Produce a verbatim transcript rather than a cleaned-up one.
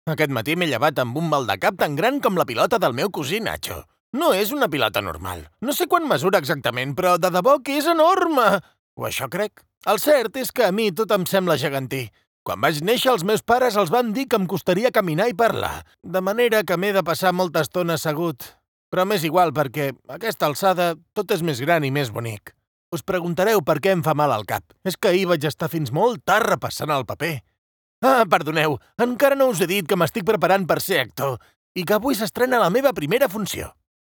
Aquest matí m'he llevat amb un mal de cap tan gran com la pilota del meu cosí Nacho. No és una pilota normal. No sé quan mesura exactament, però de debò que és enorme! O això crec. El cert és que a mi tot em sembla gegantí. Quan vaig néixer, els meus pares els van dir que em costaria caminar i parlar, de manera que m'he de passar molta estona assegut. Però m'és igual, perquè a aquesta alçada tot és més gran i més bonic. Us preguntareu per què em fa mal al cap. És que ahir vaig estar fins molt tard repassant el paper. Ah, perdoneu, encara no us he dit que m'estic preparant per ser actor i que avui s'estrena la meva primera funció.